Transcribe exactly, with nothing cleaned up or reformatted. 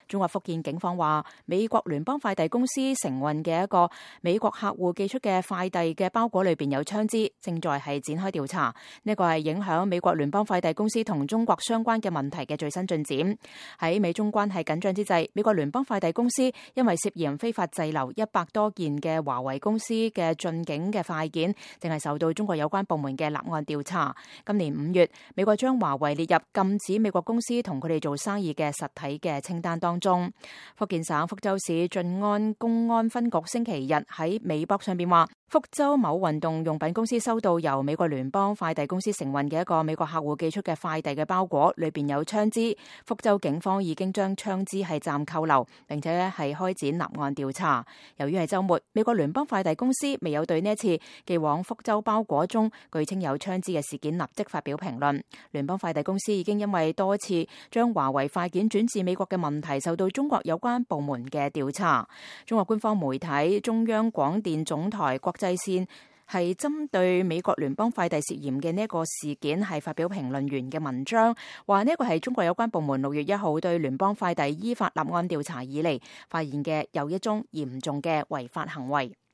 中國福建警方話，美國聯邦快遞公司承運嘅一個美國客戶寄出嘅快遞嘅包裹裏邊有槍支，正在係展開調查。呢個係影響美國聯邦快遞公司同中國相關嘅問題嘅最新進展。喺美中關係緊張之際，美國聯邦快遞公司因為涉嫌非法滯留一百多件嘅華為公司嘅進境嘅快件，正係受到中國有關部門嘅立案調查。今年五月，美國將華為列入禁止美國公司同佢哋做生意嘅實體嘅清單當中。福建省福州市晉安公安分局星期日喺微博上邊話，福州某運動用品公司收到由美國聯邦快遞公司承運嘅一個美國客戶寄出嘅快遞嘅包裹，裏邊有槍支。福州警方已經將槍支係暫扣留，並且咧係開展立案調查。由於係週末，美國聯邦快遞公司未有對呢一次寄往福州包裹中據稱有槍支嘅事件立即發表評論。聯邦快遞公司已經因為多次將華為快件轉至美國嘅問題受到中國有關部門嘅調查。中國官方媒體中央廣電總台國際線係針對美國聯邦快遞涉嫌嘅呢一個事件係發表評論員嘅文章，話呢一個係中國有關部門六月一號對聯邦快遞依法立案調查以嚟發現嘅又一宗嚴重嘅違法行為。